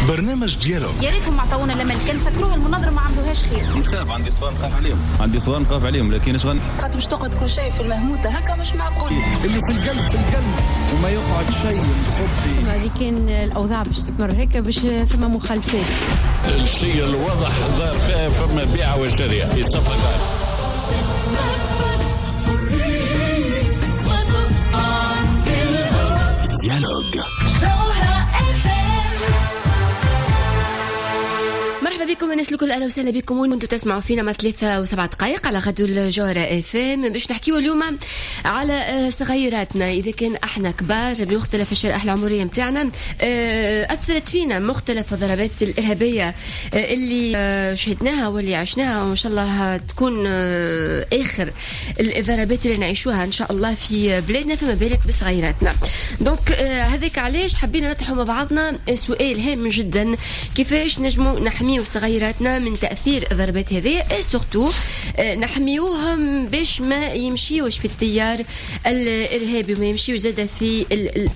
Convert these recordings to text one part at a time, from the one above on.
برنامج Dialogue. يا ريتهم عطاونا لما كان سكروها المناظرة ما عملوهاش خير. نخاف، عندي صغار نخاف عليهم، عندي صغار نخاف عليهم، لكن اش خاطر باش تقعد كل شيء في المهموته هكا مش معقول. اللي في القلب في القلب وما يقعد شيء مخبي. هذه كان الاوضاع باش تستمر هكا باش فما مخالفات. الشيء الواضح ظهر فيها فما بيع وشريعة يصفق. Dialogue. مرحبا بكم الناس الكل، اهلا وسهلا بكم وين انتم تسمعوا فينا مع 3:07 على غدو الجوهرة اف ام. باش نحكيو اليوم على صغيراتنا، اذا كان احنا كبار بمختلف الشرائح العمرية نتاعنا اثرت فينا مختلف الضربات الارهابية اللي شهدناها واللي عشناها، وان شاء الله تكون اخر الضربات اللي نعيشوها ان شاء الله في بلادنا، فما بالك بصغيراتنا. donc هذاك علاش حبينا نطرحوا مع بعضنا سؤال هام جدا، كيفاش نجموا نحميو صغيراتنا من تاثير الضربات هذه، surtout نحميوهم باش ما يمشيوش في التيار الارهابي وما يمشيوش زاده في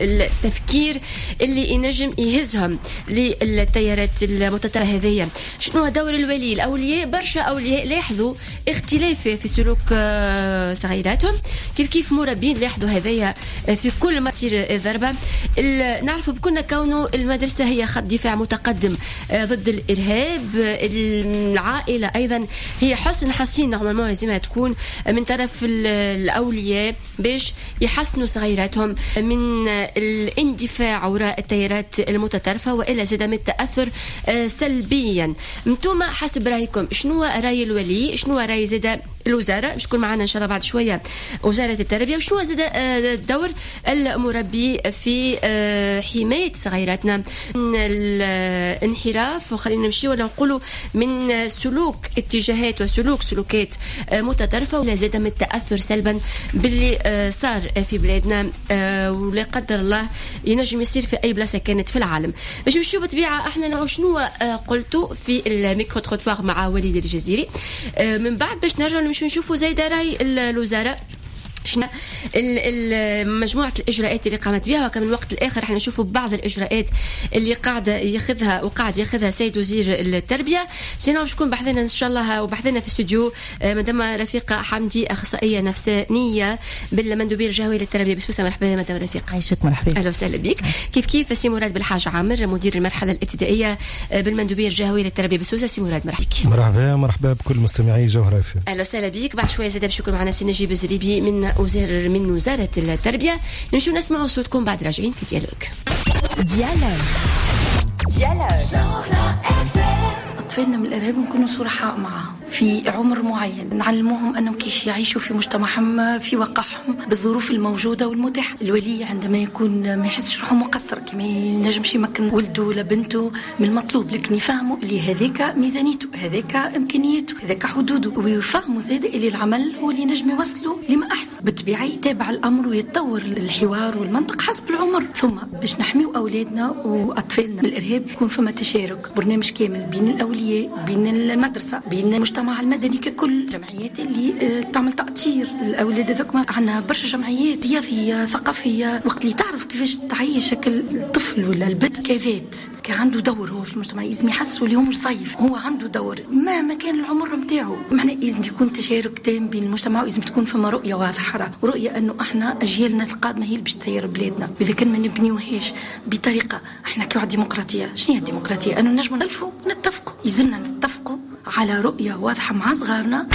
التفكير اللي ينجم يهزهم للتيارات المتطرفة هذه. شنو دور الولي؟ الاولياء، برشا اولياء لاحظوا اختلاف في سلوك صغيراتهم، كيف كيف مربين لاحظوا هذايا في كل ما تصير ضربه. نعرفوا بكنا كونه المدرسة هي خط دفاع متقدم ضد الارهاب، العائلة ايضا هي حصن حصين normalement لازمها تكون من طرف الاولياء باش يحسنوا صغيراتهم من الاندفاع وراء التيارات المتطرفة والا زاد من التاثر سلبيا. انتم حسب رايكم شنو راي الولي، شنو راي زاد الوزارة؟ باش تكون معنا ان شاء الله بعد شوية وزارة التربية، وشنو زاد دور المربي في حماية صغيراتنا من الانحراف، وخلينا نمشي ولا نقولوا من سلوك اتجاهات وسلوك سلوكات متطرفة ولا زاد من التاثر سلبا باللي صار في بلادنا ولا قدر الله ينجم يصير في اي بلاصة كانت في العالم. باش نمشيو بالطبيعة احنا شنو قلتوا في ال micro-trottoir مع وليد الجزيري، من بعد باش نرجعوا نمشيو نشوفوا زايدة راي الوزارة شنو مجموعة الإجراءات اللي قامت بها، وكمان الوقت الآخر احنا نشوفوا بعض الإجراءات اللي قاعدة ياخذها وقاعد ياخذها سيد وزير التربية. sinon باش يكون بحذنا إن شاء الله وبحذنا في الاستوديو مدام رفيقة حمدي، أخصائية نفسانية بالمندوبية الجهوية للتربية بسوسة. مرحبا مدام رفيقة. عايشك، مرحبا. أهلا وسهلا بك. كيف كيف سي مراد بالحاج عامر، مدير المرحلة الابتدائية بالمندوبية الجهوية للتربية بسوسة. سي مراد مرحبا. مرحبا، مرحبا بكل مستمعي جوهرة اف ام. أهلا وسهلا بك. بعد شوية زاد باش يكون معنا سي نجيب الزريبي من وزارة التربية. نمشيو نسمعوا صوتكم بعد راجعين في Dialogue. Dialogue Dialogue. أطفالنا من الإرهاب نكونوا صرحاء معهم في عمر معين، نعلموهم أنهم كيش يعيشوا في مجتمعهم في واقعهم بالظروف الموجودة والمتاحة. الولي عندما يكون ما يحسش روحه مقصر كي ما ينجمش يمكن ولده ولا بنته من المطلوب، لكن يفهموا اللي هذاك ميزانيته، هذاك إمكانيته، هذاك حدوده، ويفهموا زاد اللي العمل هو اللي نجم يوصلوا لما أحسن. بالطبيعة يتابع الأمر ويتطور الحوار والمنطق حسب العمر. ثم باش نحميو أولادنا وأطفالنا من الإرهاب يكون فما تشارك، برنامج كامل بين الأولياء، بين المدرسة، بين المجتمع المدني ككل، جمعيات اللي تعمل تأطير الأولاد هذوك. عندنا برشا جمعيات رياضية ثقافية، وقت اللي تعرف كيفاش تعيش شكل الطفل ولا البنت كذات كان عنده دور هو في المجتمع، لازم يحسوا اللي هو مش ضيف، هو عنده دور مهما كان العمر نتاعو. معناه لازم يكون تشارك تام بين المجتمع، ولازم تكون فما رؤية واضحة، ورؤية أنه احنا أجيالنا القادمة هي اللي باش تسير بلادنا. وإذا كان ما نبنيوهاش بطريقة احنا كي ديمقراطية، شنو هي الديمقراطية؟ أنه نجموا نلفوا ونتفقوا، يلزمنا نتفقوا على رؤية واضحة مع صغارنا.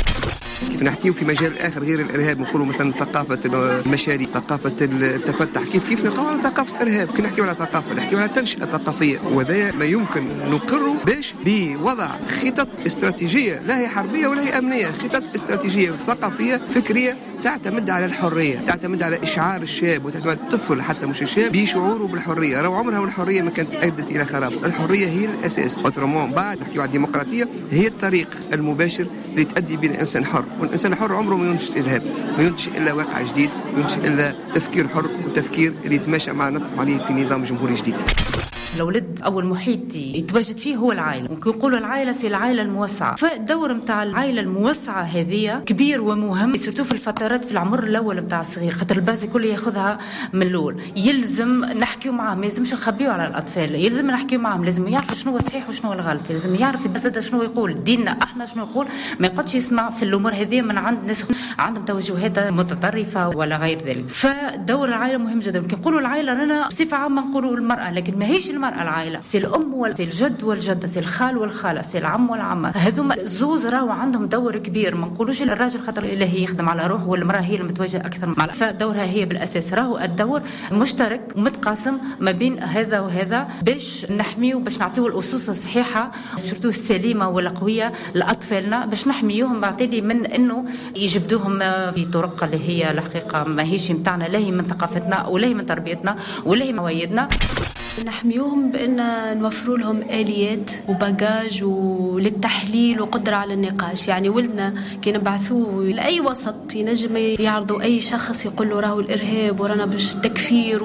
كيف نحكيو في مجال آخر غير الإرهاب، نقولوا مثلا ثقافة المشاريع، ثقافة التفتح، كيف نقولوا على ثقافة إرهاب؟ كي نحكيو على ثقافة نحكيو على تنشئة ثقافية، وهذا ما يمكن نقره باش بوضع خطط استراتيجية، لا هي حربية ولا هي أمنية، خطط استراتيجية ثقافية فكرية تعتمد على الحرية، تعتمد على إشعار الشاب وتعتمد الطفل حتى مش الشاب بشعوره بالحرية. راهو عمرها والحرية ما كانت أدت إلى خراب، الحرية هي الأساس. autrement بعد نحكيو على الديمقراطية، هي الطريق المباشر اللي تؤدي بين الإنسان حر، والإنسان الحر عمره ما ينتج إرهاب، ما ينتج إلا واقع جديد، ما ينتج إلا تفكير حر وتفكير اللي يتماشى مع نطمح عليه في نظام جمهوري جديد. الاولاد اول محيط يتواجد فيه هو العائلة، وكي نقولوا العائلة c'est العائلة الموسعه، فالدور نتاع العائلة الموسعه هذه كبير ومهم، surtout في الفترات في العمر الاول نتاع الصغير، خاطر ال base الكل ياخذها من الاول. يلزم نحكيو معاهم، ما يلزمش نخبيو على الاطفال، يلزم نحكيو معاهم، لازم يعرف شنو هو الصحيح وشنو هو الغلط، لازم يعرف زاد شنو يقول ديننا احنا شنو يقول، ما يقعدش يسمع في الامور هذه من عند ناس عندهم توجهات متطرفة ولا غير ذلك. فدور العائلة مهم جدا. كي نقولوا العائلة رانا بصفة عامة نقولوا المراة، لكن ماهيش المراة العائلة، c'est الام ولا c'est الجد والجدة، c'est الخال والخاله، c'est العم والعمة، هذوما زوز راهو عندهم دور كبير. ما نقولوش الراجل خاطر اللي هي يخدم على روحه والمراة هي المتواجدة اكثر مع، فدورها هي بالاساس. راهو الدور مشترك ومتقاسم ما بين هذا وهذا باش نحميو، باش نعطيو الاسس الصحيحة surtout السليمة والقويه لاطفالنا، باش نحميوهم بعتلي من انه يجبدوهم في طرق اللي هي الحقيقة ما هيش نتاعنا، لا هي من ثقافتنا ولا هي من تربيتنا ولا هي من عوايدنا. نحميوهم بأن نوفروا لهم آليات و bagage وللتحليل وقدرة على النقاش. يعني ولدنا كي نبعثوه لأي وسط ينجم يعرضوا أي شخص يقول له راهو الإرهاب ورانا باش التكفير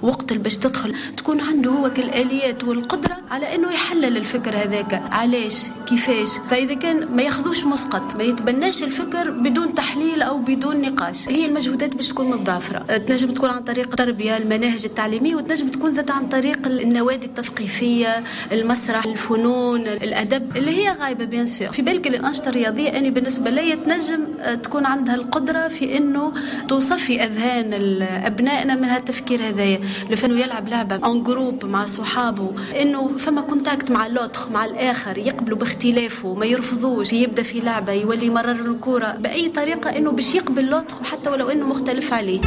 وقتل باش تدخل، تكون عنده هو كالآليات والقدرة على أنه يحلل الفكر هذاك، علاش كيفاش. فإذا كان ما ياخذوش مسقط، ما يتبناش الفكر بدون تحليل أو بدون نقاش. هي المجهودات باش تكون متضافرة، تنجم تكون عن طريق التربية، المناهج التعليمية، وتنجم تكون زاد عن طريق النوادي التثقيفية، المسرح، الفنون، الأدب اللي هي غايبة bien sûr. في بالك الأنشطة الرياضية أنا بالنسبة لي تنجم تكون عندها القدرة في أنه توصفي أذهان أبنائنا من هالتفكير هذايا، لأنه يلعب لعبة en groupe مع صحابه، أنه فما contact مع l'autre، مع الآخر، يقبلوا باختلافه، ما يرفضوش، يبدأ في لعبة يولي يمرر الكرة بأي طريقة أنه باش يقبل l'autre حتى ولو أنه مختلف عليه.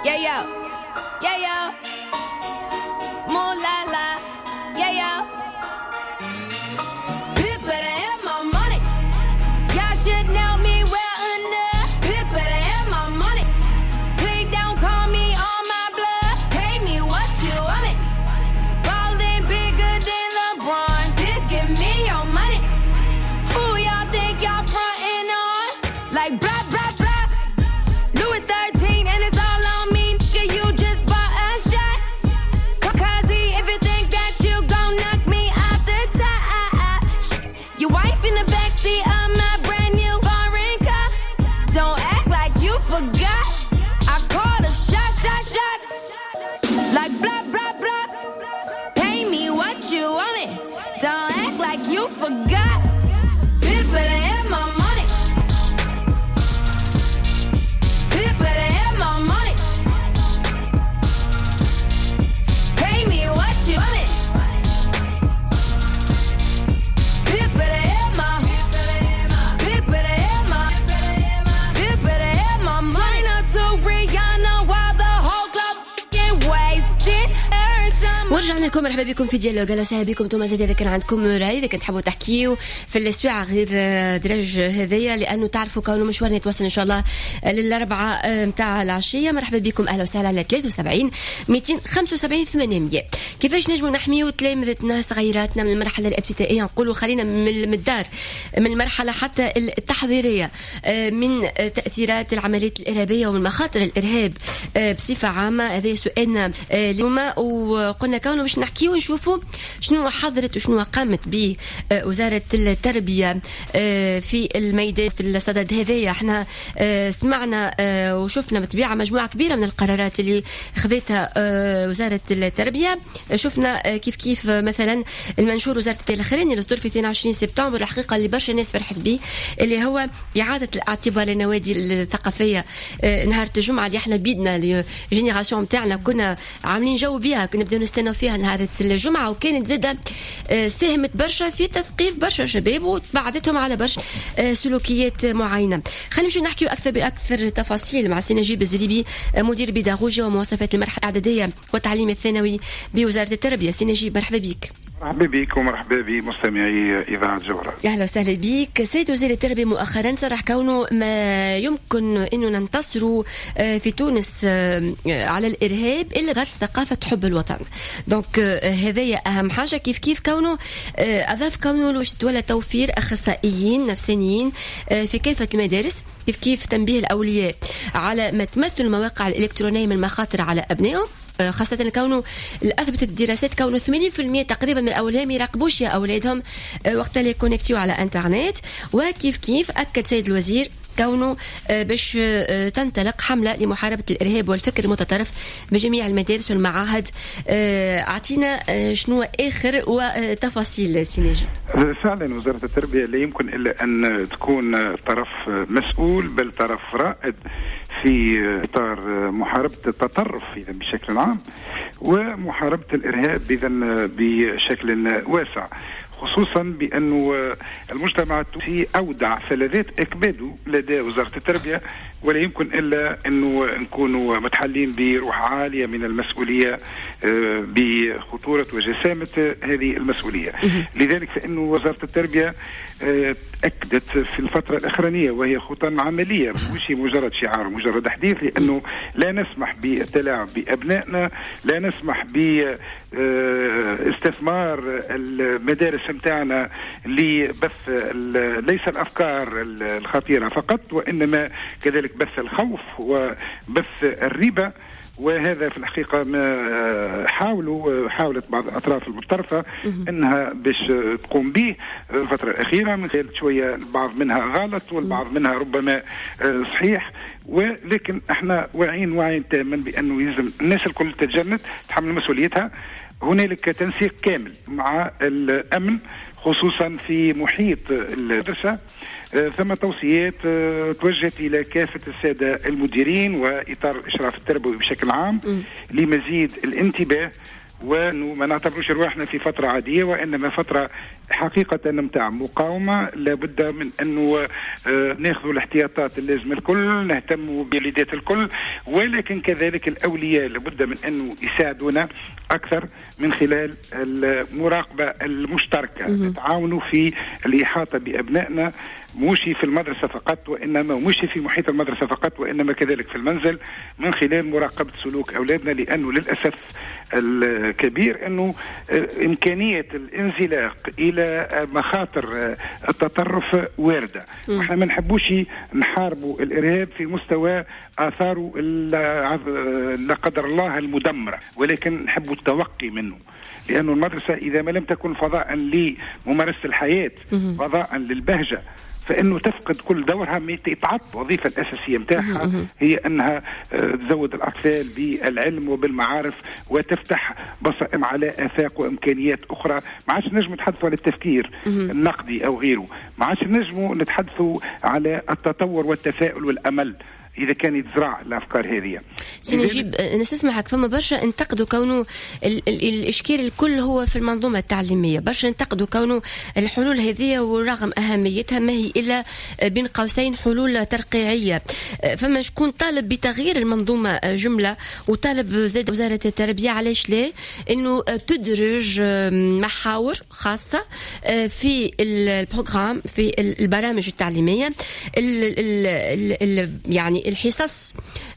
Yeah, yo. Yeah, yo. Moo la la. Yeah, yo. People better have my money. Y'all should know me well enough. People better have my money. Please don't call me on my bluff. Pay me what you want me. Ballin' bigger than LeBron. Just give me your money. Who y'all think y'all frontin' on? Like blah, blah, blah. Louis 13 and it's all on me, nigga, you just bought a shot. Kazi, if you think that you gon' knock me off the top. Your wife in the backseat of my brand new foreign car. Don't act like you forgot. I called a shot, shot, shot. Like blah, blah, blah. Pay me what you want me. Don't act like you forgot. Bitch, better have my money. Bitch, better have my money. Pay me what you want it. Bitch, better have my. Bitch, better have my. Bitch, better have my money. Up to Rihanna while the whole club f***ing wasted. ورجعنا لكم، مرحبا بكم في Dialogue. اهلا وسهلا بكم انتم زاد اذا كان عندكم راي، اذا كان تحبوا تحكيوا في السواعه غير درج هذيا، لانه تعرفوا كونه مشوارنا يتواصل ان شاء الله للاربعه نتاع العشية. مرحبا بكم، اهلا وسهلا على 73 275 800. كيفاش نجموا نحميوا تلامذتنا صغيراتنا من المرحلة الابتدائية، نقولوا خلينا من الدار، من المرحلة حتى التحضيريه، من تاثيرات العمليات الارهابية ومن مخاطر الارهاب بصفة عامة؟ هذا سؤالنا اليوم، وقلنا كونه باش نحكيو ونشوفوا شنو حضرت وشنو قامت به وزارة التربية في الميدان في الصدد هذايا. احنا سمعنا وشفنا بطبيعة مجموعة كبيرة من القرارات اللي خذتها وزارة التربية. شفنا كيف كيف مثلا المنشور وزارة الاخراني اللي صدر في 22 سبتمبر، الحقيقة اللي برشا ناس فرحت به، اللي هو إعادة الاعتبار للنوادي الثقافية نهار الجمعة اللي احنا بيدنا ال génération نتاعنا كنا عاملين جو بها، كنا نبداو نستناو فيها نهار الجمعة، وكانت زادة ساهمت برشا في تثقيف برشا شباب وبعدتهم على برشا سلوكيات معينة. خلينا نمشيو نحكيو أكثر بأكثر تفاصيل مع سي نجيب الزريبي، مدير بيداغوجيا ومواصفات المرحلة الإعدادية والتعليم الثانوي بوزارة التربية. سي نجيب مرحبا بك. مرحبا بك ومرحبا بمستمعي إذاعة جوهرة. أهلا وسهلا بك. سيد وزير التربية مؤخرا صرح كونه ما يمكن أنه ننتصروا في تونس على الإرهاب إلا غرس ثقافة حب الوطن. donc هذايا أهم حاجة. كيف كيف كونه أضاف كونه ولا توفير أخصائيين نفسانيين في كافة المدارس كيف كيف تنبيه الأولياء على ما تمثل المواقع الإلكترونية من مخاطر على أبنائهم، خاصة كونه أثبتت الدراسات كونه 80% تقريبا من الأولياء ما يراقبوش يا أولادهم وقت اللي connectés على انترنت. وكيف كيف أكد سيد الوزير كونه باش تنطلق حملة لمحاربة الإرهاب والفكر المتطرف بجميع المدارس والمعاهد. أعطينا شنو آخر وتفاصيل سي نجيب. فعلا وزارة التربية لا يمكن إلا أن تكون طرف مسؤول، بل طرف رائد في إطار محاربة التطرف إذا بشكل عام، ومحاربة الإرهاب إذا بشكل واسع، خصوصا بأنه المجتمع التونسي أودع فلذات أكباده لدى وزارة التربية، ولا يمكن إلا أنه نكونوا متحلين بروح عالية من المسؤولية بخطورة وجسامة هذه المسؤولية. لذلك فإن وزارة التربية أكدت في الفترة الأخرانية، وهي خطى عملية مش مجرد شعار مجرد حديث، لأنه لا نسمح بالتلاعب بأبنائنا، لا نسمح باستثمار المدارس متاعنا لبث ليس الأفكار الخطيرة فقط، وإنما كذلك بث الخوف وبث الريبة. وهذا في الحقيقة ما حاولت بعض الأطراف المتطرفة أنها باش تقوم به الفترة الأخيرة، من خلال شوية البعض منها غلط والبعض منها ربما صحيح، ولكن احنا واعيين وعي تاما بأنه يلزم الناس الكل تتجند تحمل مسؤوليتها. هنالك تنسيق كامل مع الأمن خصوصا في محيط المدرسة، ثم توصيات توجهت إلى كافة السادة المديرين وإطار الإشراف التربوي بشكل عام لمزيد الانتباه، وأنه ما نعتبروش رواحنا في فترة عادية، وإنما فترة حقيقة متاع مقاومة. لابد من أنه ناخذ الاحتياطات اللازمة الكل، نهتم بوليدات الكل، ولكن كذلك الأولياء لابد من أنه يساعدونا أكثر من خلال المراقبة المشتركة، نتعاونوا في الإحاطة بأبنائنا، مش في المدرسة فقط، وإنما مش في محيط المدرسة فقط، وإنما كذلك في المنزل، من خلال مراقبة سلوك أولادنا. لأنه للأسف الكبير أنه إمكانية الانزلاق إلى مخاطر التطرف واردة. وإحنا ما نحبوش نحاربوا الإرهاب في مستوى آثاره لا قدر الله المدمرة، ولكن نحبوا التوقي منه، لأن المدرسة إذا ما لم تكن فضاء لممارسة الحياة، فضاء للبهجة، فإنه تفقد كل دورها، يتعطل الوظيفة الأساسية متاعها هي أنها تزود الأطفال بالعلم وبالمعارف وتفتح بصائم على آفاق وإمكانيات أخرى. ما عادش نجم نتحدثوا على التفكير النقدي أو غيره، ما عادش نجموا نتحدثوا على التطور والتفاؤل والأمل إذا كان يتزرع الأفكار هذه. سي نجيب، نسمعك فما برشا انتقدوا كونه الإشكال الكل هو في المنظومة التعليمية، برشا انتقدوا كونه الحلول هذه ورغم أهميتها ما هي إلا بين قوسين حلول ترقيعية. فما شكون طالب بتغيير المنظومة جملة، وطالب زاد وزارة التربية علاش لا إنه تدرج محاور خاصة في ال programme، في البرامج التعليمية، ال يعني الحصص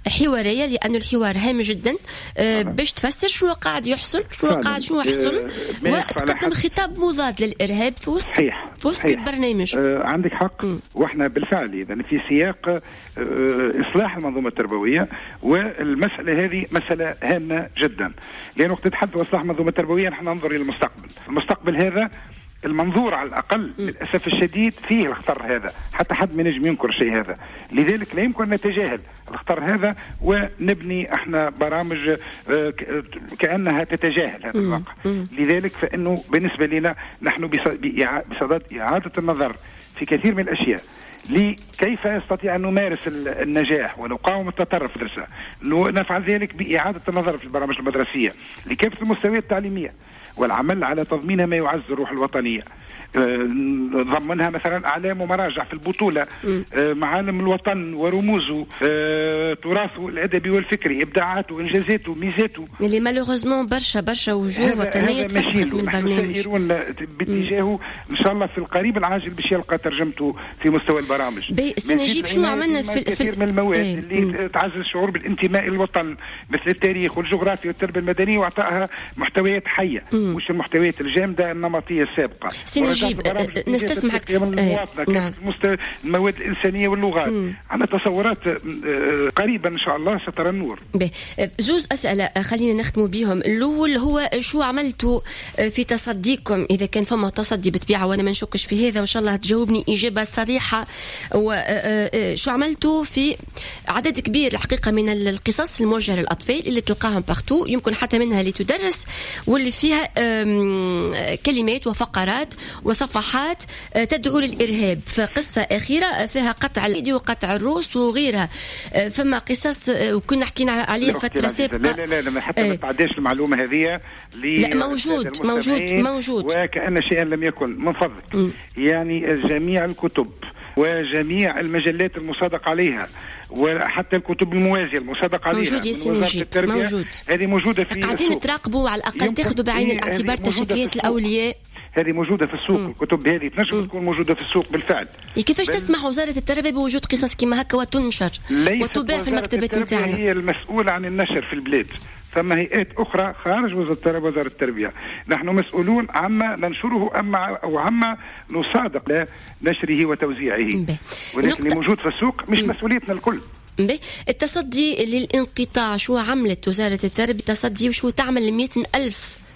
حوارية، لأن الحوار هام جدا باش تفسر شنو قاعد يحصل، شنو قاعد شنو حصل، وتقدم خطاب مضاد للإرهاب في وسط في وسط البرنامج. عندك حق. واحنا بالفعل إذا في سياق إصلاح المنظومة التربوية، والمسألة هذه مسألة هامة جدا، لأن وقت نتحدث إصلاح المنظومة التربوية نحن ننظر إلى المستقبل. المستقبل هذا المنظور على الأقل للأسف الشديد فيه الخطر هذا، حتى حد ما نجم ينكر شيء هذا. لذلك لا يمكن أن نتجاهل الخطر هذا ونبني احنا برامج كأنها تتجاهل هذا الواقع. لذلك فإنه بالنسبة لنا نحن بصدد إعادة النظر في كثير من الأشياء، لكيف يستطيع أن نمارس النجاح ونقاوم التطرف في المدرسة. نفعل ذلك بإعادة النظر في البرامج المدرسية لكافة المستويات التعليمية، والعمل على تضمينها ما يعزز الروح الوطنية، ضمنها مثلا أعلام ومراجع في البطولة، معالم الوطن ورموزه، تراثه الأدبي والفكري، إبداعاته، إنجازاته، ميزاته، اللي malheureusement برشا برشا وجوه وطنية تفسخت من البرنامج. سائرون باتجاهه إن شاء الله في القريب العاجل باش يلقى ترجمته في مستوى البرامج. سي نجيب، شنو عملنا في كثير من المواد اللي تعزز الشعور بالانتماء للوطن، مثل التاريخ والجغرافيا والتربية المدنية، وإعطائها محتويات حية، مش المحتويات الجامدة النمطية السابقة. سي نجيب، نجيب نستسمحك نعم. المواد الإنسانية واللغات. عندنا تصورات قريبا إن شاء الله سترى النور. زوز أسئلة خلينا نختموا بهم. الأول هو شو عملتوا في تصديكم إذا كان فما تصدي بطبيعة، وأنا ما نشكش في هذا وإن شاء الله تجاوبني إجابة صريحة، وشو عملتوا في عدد كبير الحقيقة من القصص الموجهة للأطفال اللي تلقاهم partout، يمكن حتى منها اللي تدرس واللي فيها كلمات وفقرات وصفحات تدعو للإرهاب. فقصة أخيرة فيها قطع الأيدي وقطع الروس وغيرها، فما قصص وكنا حكينا عليها فترة سابقة. لا لا لا حتى ما تعداش المعلومة هذه. لا موجود موجود موجود، وكأن شيئا لم يكن. من فضلك يعني جميع الكتب وجميع المجلات المصادق عليها وحتى الكتب الموازية المصادق عليها موجود يا سي نجيب، موجود. هذه موجودة في قاعدين تراقبوا على الأقل، تاخذوا بعين الاعتبار تشكيات الأولياء. هذه موجودة في السوق. الكتب هذه تنجم تكون موجودة في السوق بالفعل. كيفاش تسمح وزارة التربية بوجود قصص كما هكا وتنشر وتباع في المكتبات نتاعنا؟ هي المسؤولة عن النشر في البلاد، ثم هيئات أخرى خارج وزارة التربية. نحن مسؤولون عما ننشره أو عما نصادق لنشره وتوزيعه، ولكن اللي موجود في السوق مش مسؤوليتنا الكل. التصدي للانقطاع، شو عملت وزارة التربية تصدي وشو تعمل ل100,000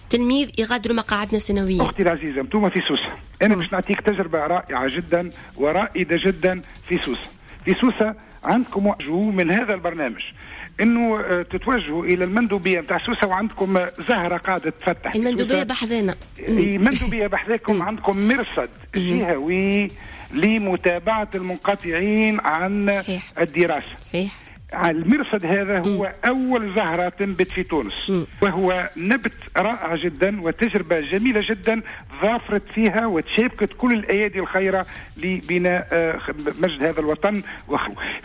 تلميذ يغادروا مقاعدنا السنوية؟ أختي العزيزة، انتم في سوسة، أنا باش نعطيك تجربة رائعة جدا ورائدة جدا في سوسة. في سوسة عندكم من هذا البرنامج انه تتوجهوا الى المندوبيه نتاع سوسة، وعندكم زهره قاعدة تفتح المندوبيه بحذانا، المندوبيه بحذاكم، عندكم مرصد جهوي لمتابعة المنقطعين عن صحيح. الدراسة. صحيح. المرصد هذا هو أول زهرة تنبت في تونس، وهو نبت رائع جدا وتجربة جميلة جدا ظافرت فيها وتشابكت كل الأيادي الخيرة لبناء مجد هذا الوطن.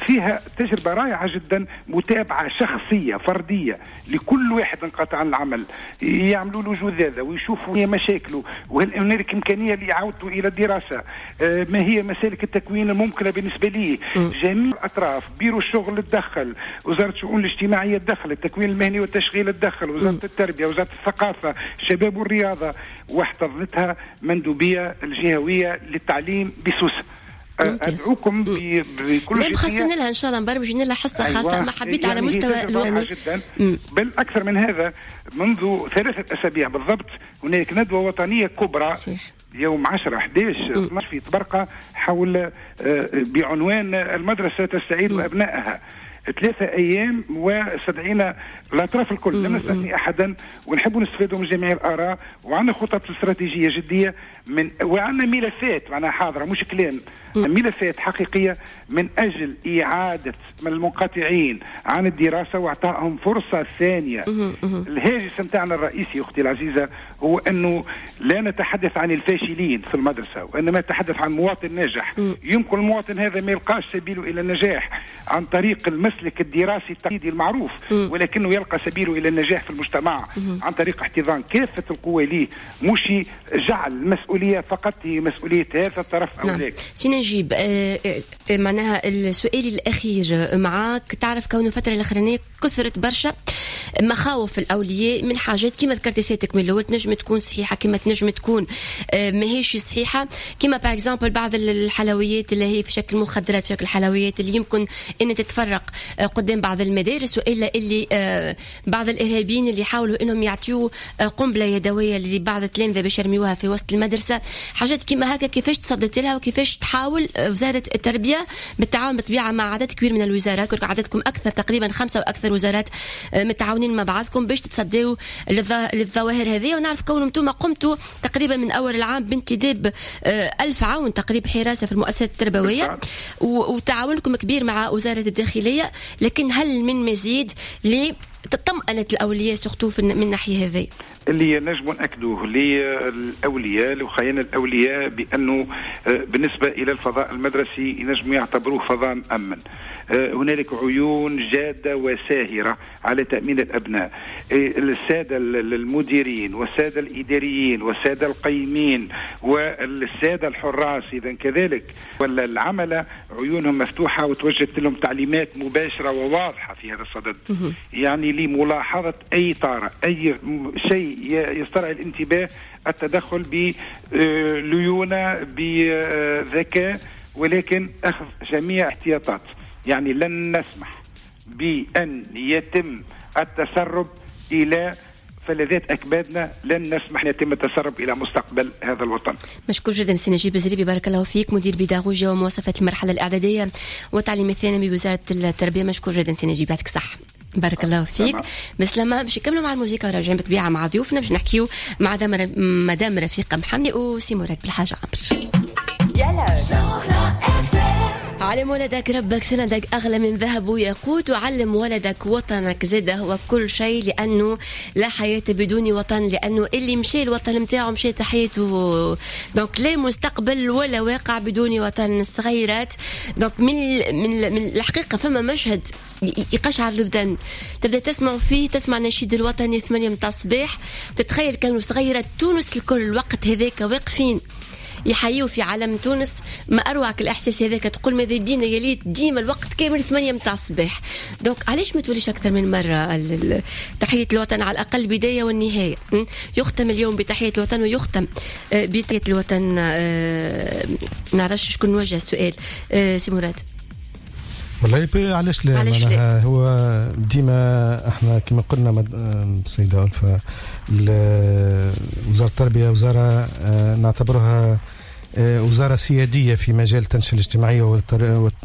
فيها تجربة رائعة جدا، متابعة شخصية فردية لكل واحد انقطع عن العمل، يعملوا له جذاذة ويشوفوا مشاكله، وهل هنالك إمكانية لإعادته إلى الدراسة، ما هي مسالك التكوين الممكنة بالنسبة ليه. جميع الأطراف، بيرو الشغل تدخل، وزارة الشؤون الاجتماعية تدخل، التكوين المهني والتشغيل تدخل، وزارة التربية، وزارة الثقافة، الشباب والرياضة، واحتضنتها مندوبية الجهوية للتعليم بسوسة. أدعوكم بكل لا مخصصين لها إن شاء الله، مبرمجين لها حصة خاصة. ما حبيت يعني على مستوى الوطني جدا. بل أكثر من هذا، منذ 3 أسابيع بالضبط هناك ندوة وطنية كبرى صحيح. يوم 10 11 12 في طبرقة حول بعنوان المدرسة تستعيد أبنائها. 3 أيام وستدعينا الأطراف الكل، لم نستثني أحدا، ونحب نستفيدوا من جميع الآراء، وعندنا خطط استراتيجية جدية من، وعندنا ملفات معناها حاضرة مش كلام، ملفات حقيقية من أجل إعادة من المنقطعين عن الدراسة وإعطائهم فرصة ثانية. الهاجس نتاعنا الرئيسي أختي العزيزة هو أنه لا نتحدث عن الفاشلين في المدرسة، وإنما نتحدث عن مواطن ناجح. يمكن المواطن هذا ما يلقاش سبيله إلى النجاح عن طريق المسلك الدراسي التقليدي المعروف، ولكنه يلقى سبيله إلى النجاح في المجتمع عن طريق احتضان كافة القوى ليه، مش جعل المسؤولية فقط هي مسؤولية هذا الطرف أو ذاك. سي نجيب، معناها السؤال الأخير معاك، تعرف كونه الفترة الأخرانية كثرت برشا مخاوف الأولياء من حاجات كما ذكرت سيادتك من الأول، تنجم تكون صحيحة كما تنجم تكون ماهيش صحيحة، كما par exemple بعض الحلويات اللي هي في شكل مخدرات، في شكل حلويات اللي يمكن أن تتفرق قدام بعض المدارس، وإلا اللي بعض الإرهابيين اللي حاولوا أنهم يعطيوا قنبلة يدوية لبعض التلامذة باش يرميوها في وسط المدرسة. حاجات كما هكا كيفاش تصدت لها، وكيفاش تحاول وزارة التربية بالتعاون بالطبيعة مع عدد كبير من الوزارات، عددكم أكثر تقريبا 5 وأكثر وزارات متعاونين مع بعضكم باش تصدوا للظواهر هذه. ونعرف كون انتم قمتوا تقريبا من أول العام بانتداب 1000 عون تقريبا حراسة في المؤسسات التربوية، وتعاونكم كبير مع وزارة الداخلية، لكن هل من مزيد لتطمئنة الأولياء surtout من الناحية هذه؟ اللي نجم نأكدوه للأولياء لخيان الأولياء بأنه بالنسبة إلى الفضاء المدرسي ينجم يعتبروه فضاء مأمن. هنالك عيون جادة وساهرة على تأمين الأبناء. السادة المديرين والسادة الإداريين والسادة القيمين والسادة الحراس إذا كذلك والعملة عيونهم مفتوحة وتوجهت لهم تعليمات مباشرة وواضحة في هذا الصدد، يعني لملاحظة أي طارئ، أي شيء يسترعي الانتباه، التدخل بليونة بذكاء، ولكن أخذ جميع احتياطات. يعني لن نسمح بأن يتم التسرب إلى فلذات أكبادنا، لن نسمح أن يتم التسرب إلى مستقبل هذا الوطن. مشكور جدا سي نجيب الزريبي، بارك الله فيك، مدير بيداغوجيا ومواصفات المرحلة الإعدادية والتعليم الثانوي بوزارة التربية. مشكور جدا سي نجيب، يعطيك الصحة، بارك الله فيك. بسلامة. باش نكملوا مع الموسيقى وراجعين بالطبيعة مع ضيوفنا باش نحكيو مع مدام رفيقة محمدي وسي مراد بالحاج عمرو. علم ولدك ربك سندك أغلى من ذهب وياقوت، وعلم ولدك وطنك زاده هو كل شيء، لأنه لا حياة بدون وطن، لأنه اللي مشى الوطن متاعه مشى حياته، donc لا مستقبل ولا واقع بدون وطن. الصغيرات donc من الحقيقة فما مشهد يقشعر البدن، تبدأ تسمع فيه، تسمع نشيد الوطني 8 متاع الصباح، تتخيل كانوا صغيرات تونس الكل الوقت هذاك واقفين يحيوا في علم تونس. ما أروعك الإحساس هذاك، تقول ماذا بينا يا ليت ديما الوقت كامل 8 متاع الصباح. donc علاش ما توليش أكثر من مرة تحية الوطن، على الأقل البداية والنهاية. يختم اليوم بتحية الوطن ويختم بتحية الوطن. نعرفش شكون نوجه السؤال، سي مراد. والله علاش لا، علاش لا؟ هو ديما احنا كما قلنا سيدة ألفة، وزارة التربية وزارة نعتبرها وزارة سيادية في مجال التنشئة الاجتماعية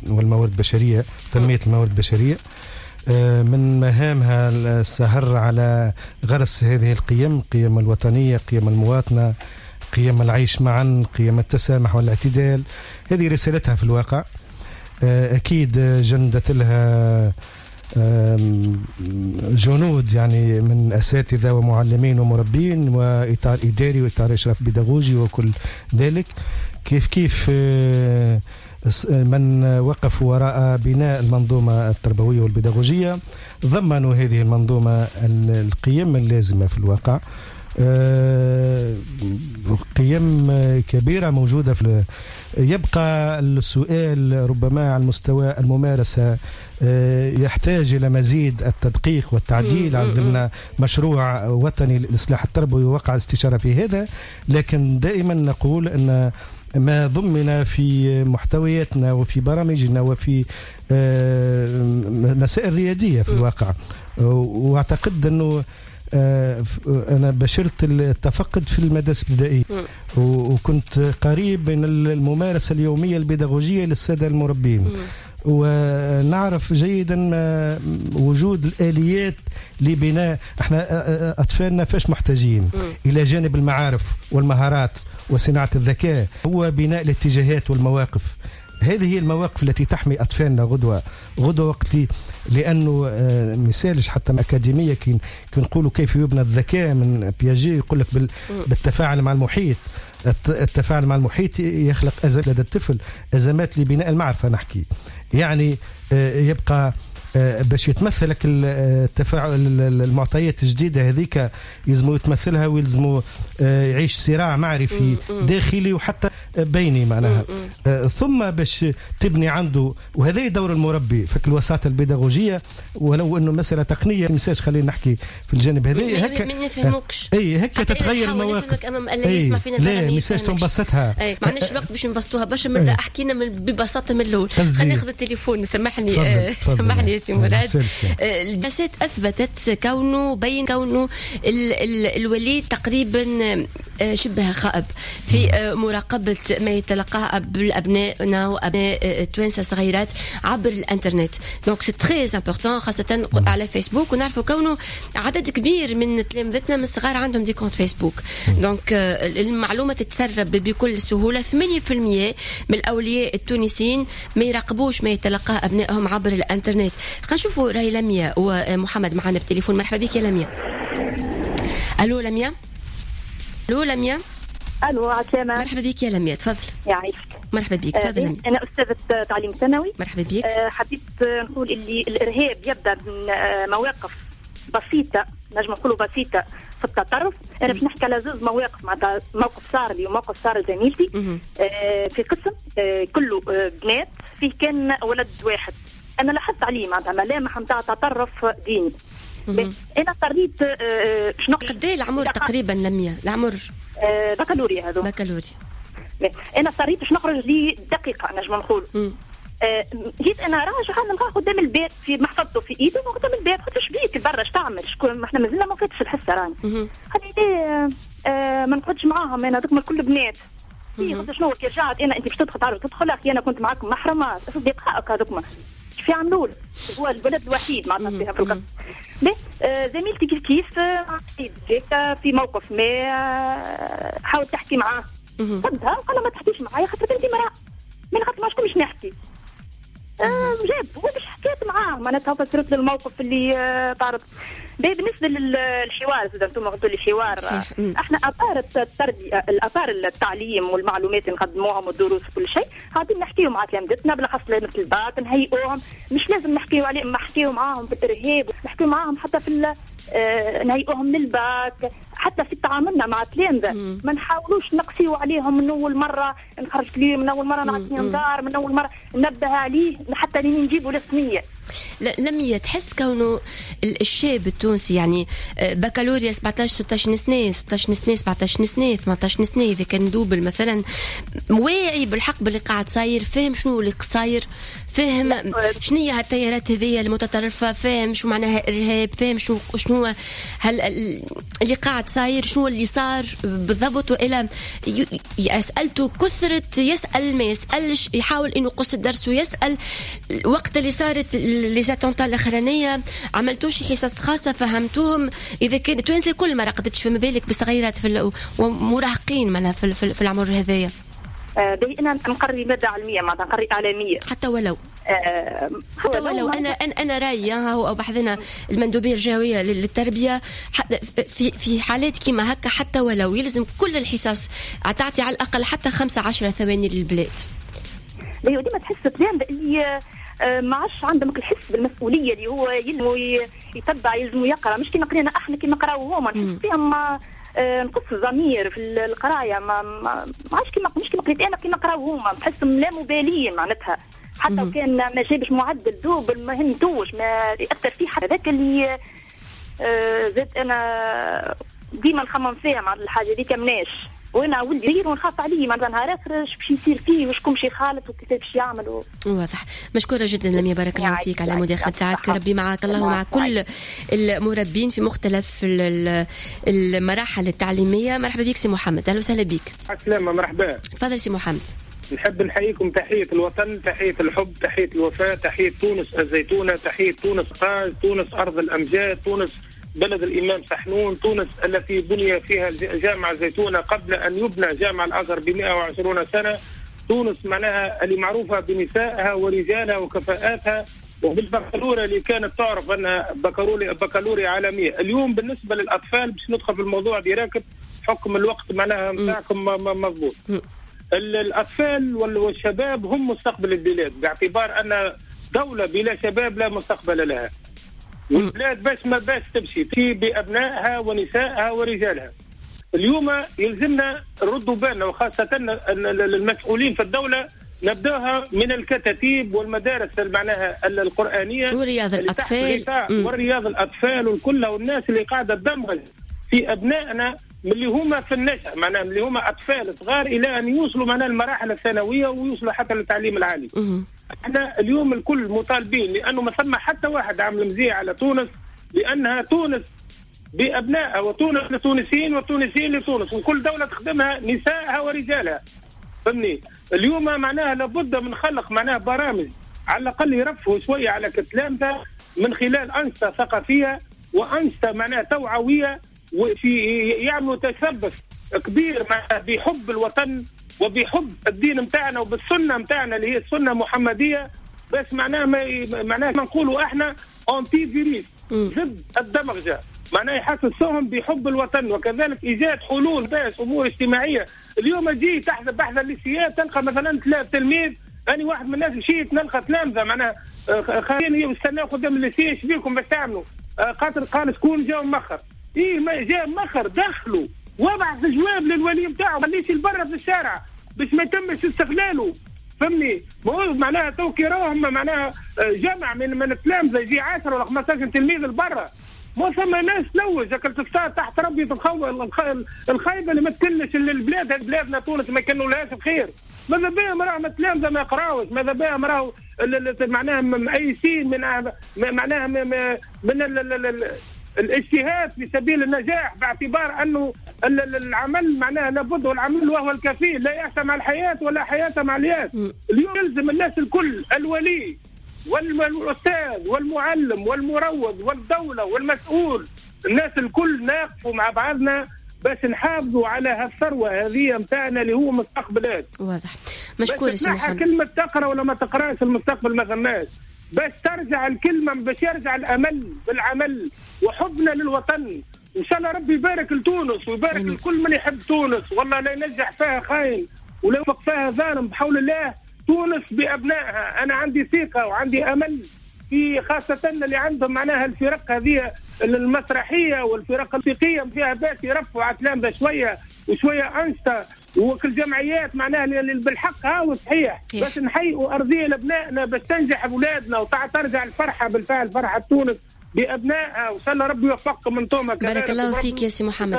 والموارد البشرية، تنمية الموارد البشرية. من مهامها السهر على غرس هذه القيم، قيم الوطنية، قيم المواطنة، قيم العيش معا، قيم التسامح والاعتدال. هذه رسالتها في الواقع. أكيد جندت لها جنود يعني من أساتذة ومعلمين ومربين وإطار إداري وإطار إشراف بيداغوجي وكل ذلك. كيف كيف من وقفوا وراء بناء المنظومة التربوية والبيداغوجية ضمنوا هذه المنظومة القيم اللازمة في الواقع، قيم كبيرة موجودة في. يبقى السؤال ربما على المستوى الممارسة يحتاج إلى مزيد التدقيق والتعديل. عندنا مشروع وطني للإصلاح التربوي ووقع استشارة في هذا، لكن دائما نقول أن ما ضمن في محتوياتنا وفي برامجنا وفي مسائل ريادية في الواقع. وأعتقد أنه أنا بشرت التفقد في المدارس الابتدائية وكنت قريب من الممارسة اليومية البيداغوجية للسادة المربين، ونعرف جيدا وجود الآليات لبناء. احنا أطفالنا فاش محتاجين إلى جانب المعارف والمهارات وصناعة الذكاء هو بناء الاتجاهات والمواقف. هذه هي المواقف التي تحمي أطفالنا غدوة وقت، لأنه مثالش حتى أكاديمية كي نقولوا كيف يبنى الذكاء من بياجي، يقول لك بالتفاعل مع المحيط. التفاعل مع المحيط يخلق أزمات لدى الطفل، أزمات لبناء المعرفة نحكي. يعني يبقى باش يتمثلك التفاعل، المعطيات الجديدة هذيك يلزمو يتمثلها ويلزمو يعيش صراع معرفي داخلي وحتى بيني معناها. ثم باش تبني عنده، وهذا دور المربي في الوساطة البيداغوجية، ولو انه مسألة تقنية مساج خلينا نحكي في الجانب هذا هكا ما نفهموكش. اي هكا تتغير المواقف. لا مساج تنبسطها، ما عندناش الوقت باش نبسطوها برشا، من احكينا ببساطة من الاول. خلينا ناخذ التليفون. سامحني سامحني يا سي مراد. الدراسات اثبتت كونه بين كونه الوليد تقريبا شبه خائب في مراقبة ما يتلقاه أبنائنا وأبناء التوانسة صغيرات عبر الانترنت. donc c'est très important خاصة على فيسبوك، ونعرفوا كونه عدد كبير من تلامذتنا من الصغار عندهم des comptes فيسبوك. donc المعلومة تتسرب بكل سهولة. 8% من الأولياء التونسيين ما يراقبوش ما يتلقاه أبنائهم عبر الانترنت. خلينا نشوفوا رأي لميا ومحمد معنا بالتليفون. مرحبا بك يا لميا. ألو لميا. ألو لميا. الو عسلامة. مرحبا بك يا لميا، تفضل. يعيشك. مرحبا بك، تفضل. انا استاذه تعليم ثانوي. مرحبا بك. حبيت نقول اللي الارهاب يبدا من مواقف بسيطة، نجم نقولوا بسيطة في التطرف. انا باش نحكي على زوج مواقف، معناتها موقف صار لي وموقف صار لزميلتي في قسم كله بنات، فيه كان ولد واحد. انا لاحظت عليه معناتها ملامح نتاع تطرف ديني. انا اضطريت باش نقول قد ايه العمر تقريبا لميا؟ العمر بكالوريا، هذو بكالوريا. انا اضطريت باش نخرج لي دقيقة نجم نقول. جيت انا راجعه نلقاه قدام الباب في محفظته في ايده قدام الباب. قلت له شبيك برا اش تعمل؟ شكون احنا مازلنا ما فاتش الحصة راني. قال لي ما نقعدش معاهم انا هذوك الكل بنات. قلت شنو كي رجعت انا انت باش تدخل تعرف تدخل اخي انا كنت معاكم محرمة اصدقائك هذوك كيف يعملوا؟ هو الولد الوحيد معناتها فيها في القسم. زميلتي كيف كيف في موقف ما حاولت تحكي معاه، صدها وقال ما تحكيش معايا خاطر انت امراة، من خاطر ما شكون باش نحكي. جاب هو باش حكيت معاه معناتها فسرت له الموقف اللي تعرض. بالنسبة للحوار زاد انتم قلتوا لي حوار، احنا à part التربية à part التعليم والمعلومات اللي نقدموهم والدروس وكل شيء قاعدين نحكيو مع تلامذتنا بالاخص تلامذه الباك، نهيئوهم. مش لازم نحكيو عليهم، نحكيو معاهم في الارهاب، نحكيو معاهم حتى في نهيئوهم للباك، حتى في تعاملنا مع التلامذه ما نحاولوش نقسيو عليهم من اول مرة نخرج ليه، من اول مرة نعطيهم دار، من اول مرة ننبه عليه حتى لين نجيبوا الثنية. لم تحس كونه الشاب التونسي يعني بكالوريا 17 16 سنة 16 سنة 17 سنة 18 سنة اذا كان double مثلا، واعي بالحق باللي قاعد صاير، فاهم شنو اللي صاير، فاهم شنو هي هالتيارات هذيا المتطرفة، فاهم شو معناها ارهاب، فاهم شنو هل اللي قاعد صاير، شنو اللي صار بالضبط، والى اسالته كثرة يسال ما يسالش، يحاول انه يقص الدرس ويسال. وقت اللي صارت les attentats الاخرانية عملتوش حصص خاصة فهمتوهم؟ اذا كان توانسة كل ما رقدتش فما بالك بصغيرات في ومراهقين معناها في العمر هذايا. انا نقري مادة علمية معناتها نقري اعلامية حتى ولو حتى ولو انا رايي او بحذنا المندوبيه الجهوية للتربية في حالات كيما هكا حتى ولو يلزم كل الحصص تعطي على الاقل حتى 15 ثواني للبلاد. ديما تحس تلامذه اللي ما عادش عندهم الحس بالمسؤولية اللي هو يلزمو يتبع، يلزمو يقرا، مش كيما قرينا احنا كيما قراو هما. نحس فيهم نقص الضمير في القراية، ما عادش كيما مش كيما قريت انا كيما قراو هما، نحسهم لا مبالين معناتها. حتى وكان ما جابش معدل double ما همتوش، ما ياثر فيه حتى. هذاك اللي زاد انا ديما نخمم فيها مع الحاجة دي كمناش، وانا ولدي صغير ونخاف عليه معناتها نهار اخر اش باش يصير فيه وشكون باش يخالط وكيفاش باش يعمل واضح. مشكورة جدا لميا، بارك الله فيك على المداخلة تاعك، ربي معك، الله مع كل المربين في مختلف المراحل التعليمية. مرحبا بك سي محمد، اهلا وسهلا بك. السلامة، مرحبا. تفضل سي محمد. نحب نحييكم تحية الوطن، تحية الحب، تحية الوفاء، تحية تونس الزيتونه، تحية تونس قاز، تونس ارض الامجاد، تونس بلد الإمام سحنون، تونس التي بني فيها جامع الزيتونة قبل أن يبنى جامع الأزهر ب 120 سنة، تونس معناها اللي معروفة بنسائها ورجالها وكفاءاتها وبالبكالوريا اللي كانت تعرف أنها بكالوريا عالمية. اليوم بالنسبة للأطفال باش ندخل في الموضوع direct حكم الوقت معناها نتاعكم مضبوط. الأطفال والشباب هم مستقبل البلاد، باعتبار أن دولة بلا شباب لا مستقبل لها. والبلاد باش ما باش تمشي في بأبنائها ونسائها ورجالها. اليوم يلزمنا نردوا بالنا، وخاصة المسؤولين في الدولة، نبداها من الكتاتيب والمدارس معناها القرآنية ورياض الأطفال ورياض الأطفال والكل، والناس اللي قاعدة تدمغ في أبنائنا من اللي هما في النشأ، معناها من اللي هما أطفال صغار إلى أن يوصلوا معناها المراحل الثانوية ويوصلوا حتى للتعليم العالي. احنا اليوم الكل مطالبين، لأنه ما ثم حتى واحد عامل مزية على تونس، لأنها تونس بأبنائها وتونس للتونسيين والتونسيين لتونس، وكل دولة تخدمها نسائها ورجالها. فهمني؟ اليوم معناها لابد من خلق معناها برامج على الأقل يرفهوا شوية على كتلامته من خلال أنشطة ثقافية وأنشطة معناها توعوية، وفي يعملوا تشبث كبير معناها بحب الوطن وبحب الدين متاعنا وبالسنة متاعنا اللي هي السنة المحمدية. بس معناها ما معناها ما نقولوا احنا anti-virus، ضد الدمغجة. معناها يحسسوهم بحب الوطن، وكذلك ايجاد حلول باش امور اجتماعية. اليوم تجي تحذف بحث الليسيات تلقى مثلا 3 تلميذ، انا واحد من الناس مشيت نلقى تلامذه معناها خارجين يستناو قدام ال lycée، ايش بيكم باش تعملوا؟ خاطر قال شكون جاو مخر، ايه ما جاء مخر دخلوا وابعث جواب للولي نتاعو، خليش البرة في الشارع باش ما يتمش استغلاله، فهمني؟ معناها تو كي راهم معناها جمع من التلامذه يجي 10 ولا 15 تلميذ لبرا، ما ثم ناس تلوج هكا تحت ربي الخايبة اللي ما تكلش البلاد، بلادنا تونس ما يكنولهاش بخير. ماذا بهم راهم التلامذه ما يقراوش، ماذا بهم راهو معناها مأيسين من معناها من الاجتهاد في سبيل النجاح، باعتبار انه العمل معناها لابد، والعمل وهو الكفيل، لا يأس مع الحياة ولا حياة مع الياس. اليوم يلزم الناس الكل، الولي والاستاذ والمعلم والمروض والدولة والمسؤول، الناس الكل ناقفوا مع بعضنا باش نحافظوا على هالثروه هذه نتاعنا اللي هو مستقبلات. واضح، مشكور سي محمد. كلمة تقرا ولا ما تقراش المستقبل ما ثماش، باش ترجع الكلمة، باش يرجع الامل بالعمل وحبنا للوطن. ان شاء الله ربي يبارك لتونس ويبارك لكل من يحب تونس، والله لا ينجح فيها خاين ولا يوفق فيها ظالم، بحول الله تونس بابنائها. انا عندي ثقة وعندي امل في خاصة اللي عندهم معناها الفرق هذه المسرحية والفرق الموسيقية فيها باش يرفعوا على التلامذه شوية وشوية انشطة، وكل جمعيات معناها اللي بالحق هاو صحيح، باش نحيئوا ارضية لابنائنا باش تنجح اولادنا وترجع الفرحة بالفعل، فرحه تونس بابنائها، وان شاء الله ربي يوفقكم انتم. بارك الله فيك يا سي محمد،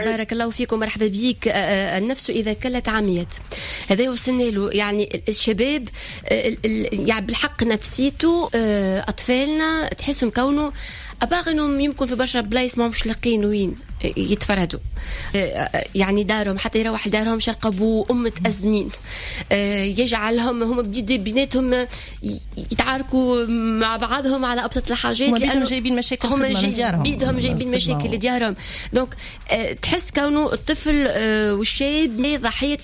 بارك الله فيك ومرحبا بيك. النفس اذا كلت عميت، هذا وصلنا له، يعني الشباب يعني بالحق نفسيته، اطفالنا تحسهم كونه à part انهم يمكن في برشا بلايص ما همش لاقيين وين يتفردوا، يعني دارهم حتى يروح لدارهم شرق ابوه وام متازمين، يجعلهم هم بيناتهم يتعاركوا مع بعضهم على ابسط الحاجات، لانه جايبين مشاكل هم بيدهم جايبين مشاكل لديارهم. donc تحس كونه الطفل والشاب ضحية